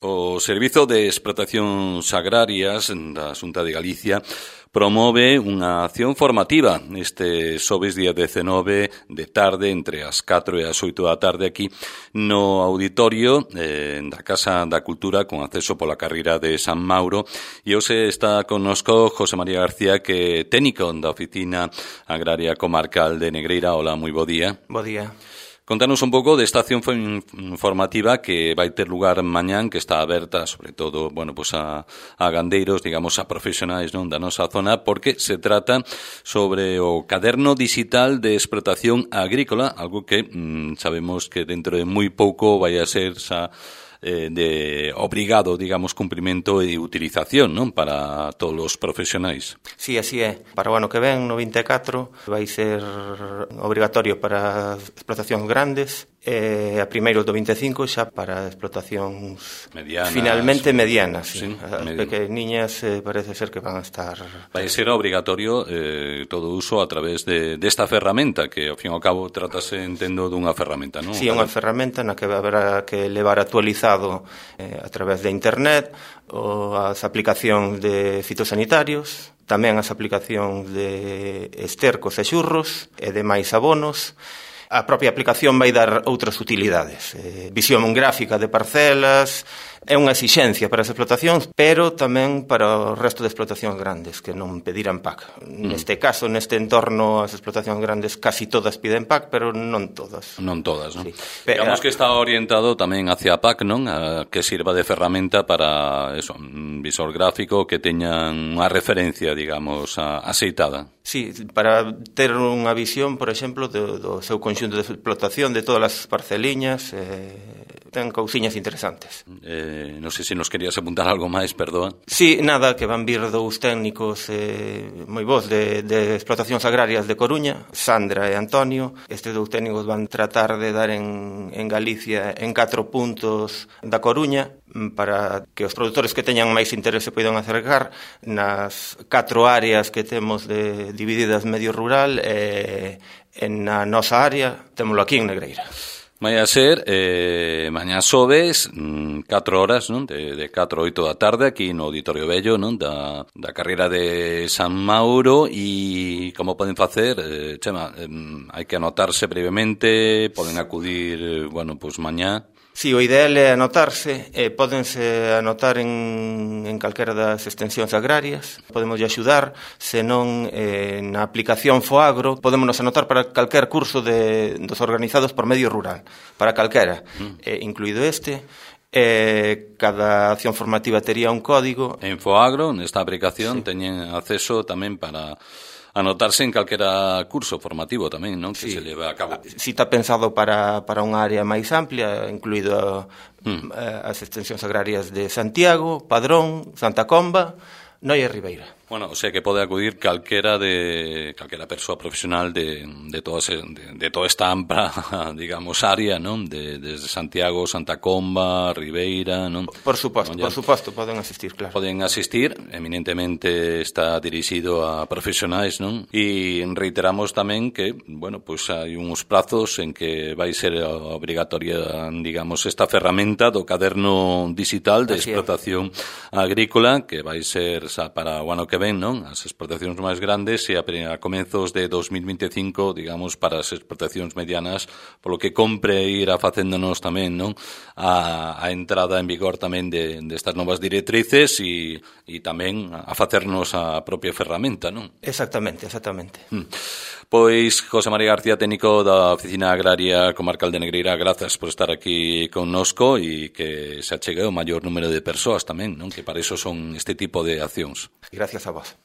O Servizo de Explotacións Agrarias da Xunta de Galicia promove unha acción formativa este xoves día 19 de tarde entre as 4 e as 8 da tarde aquí no auditorio da Casa da Cultura con acceso pola carreira de San Mauro, e hoxe está connosco José María García, que é técnico da Oficina Agraria Comarcal de Negreira. Hola, moi bo día. Bo día. Contanos un pouco desta acción formativa que vai ter lugar mañán, que está aberta sobre todo, pues a gandeiros, digamos, a profesionais, non, da nosa zona, porque se trata sobre o caderno digital de explotación agrícola, algo que sabemos que dentro de moi pouco vai a ser de obrigado, digamos, cumprimento e utilización, non, para todos os profesionais. Sí, así é. Para o ano que ven, no 24, vai ser obrigatorio para explotacións grandes e a primeiros do 25 xa para explotacións medianas, finalmente medianas. Sí. As pequeniñas parece ser que van a estar... Vai ser obrigatorio todo uso a través desta ferramenta, que ao fin e ao cabo tratase, entendo, dunha ferramenta, non? Sí, unha ferramenta na que haberá que levar actualizado a través de internet as aplicacións de fitosanitarios, tamén as aplicacións de estercos e xurros e demais abonos. A propia aplicación vai dar outras utilidades, visión gráfica de parcelas, é unha exixencia para as explotacións, pero tamén para o resto de explotacións grandes que non pedirán PAC. Neste caso, neste entorno, as explotacións grandes casi todas piden PAC, pero non todas. Non todas, non? Sí. Digamos que está orientado tamén hacia a PAC, non? A que sirva de ferramenta para eso, un visor gráfico que teñan unha referencia, digamos, aceitada. Sí, para ter unha visión, por exemplo, do seu conxunto de explotación, de todas as parceliñas, ten cousiñas interesantes. Non sei se nos querías apuntar algo máis, perdoa. Sí, nada, que van vir dous técnicos moi bons de explotacións agrarias de Coruña, Sandra e Antonio. Estes dous técnicos van tratar de dar en Galicia en 4 puntos da Coruña para que os produtores que teñan máis interese poidan acercar nas 4 áreas que temos divididas medio rural e na nosa área témolo aquí en Negreira. Vai a ser mañá xoves 4 horas, non? De 4 a 8 da tarde aquí no Auditorio Vello, non? Da carreira de San Mauro. E como poden facer? Chema, hai que anotarse brevemente, poden acudir, mañá. Sí, o ideal é anotarse, pódense anotar en calquera das extensións agrarias, podemos axudar, senón na aplicación Foagro, podémonos anotar para calquer curso dos organizados por medio rural, para calquera, incluído este. Cada acción formativa tería un código. En Foagro, nesta aplicación, sí, teñen acceso tamén para anotarse en calquera curso formativo tamén, non? Que sí, se leva a cabo. Si está pensado para unha área máis amplia, incluído as extensións agrarias de Santiago, Padrón, Santa Comba, Noia e Ribeira. O sea que pode acudir calquera persoa profesional de toda esta ampla, digamos, área, non? Desde Santiago, Santa Comba, Ribeira, non? Por suposto, poden asistir, claro. Poden asistir, eminentemente está dirixido a profesionais, non? E reiteramos tamén que, hai uns prazos en que vai ser obrigatoria, digamos, esta ferramenta do caderno digital de explotación agrícola, que vai ser para o ano que ven, non? As explotacións máis grandes e a comenzos de 2025, digamos, para as explotacións medianas, polo que compre ir a facéndonos tamén, non? A entrada en vigor tamén destas novas directrices e tamén a facernos a propia ferramenta, non? Exactamente. Pois, José María García, técnico da Oficina Agraria Comarcal de Negreira, grazas por estar aquí connosco e que se achegue o maior número de persoas tamén, non? Que para iso son este tipo de accións. Gracias a vos.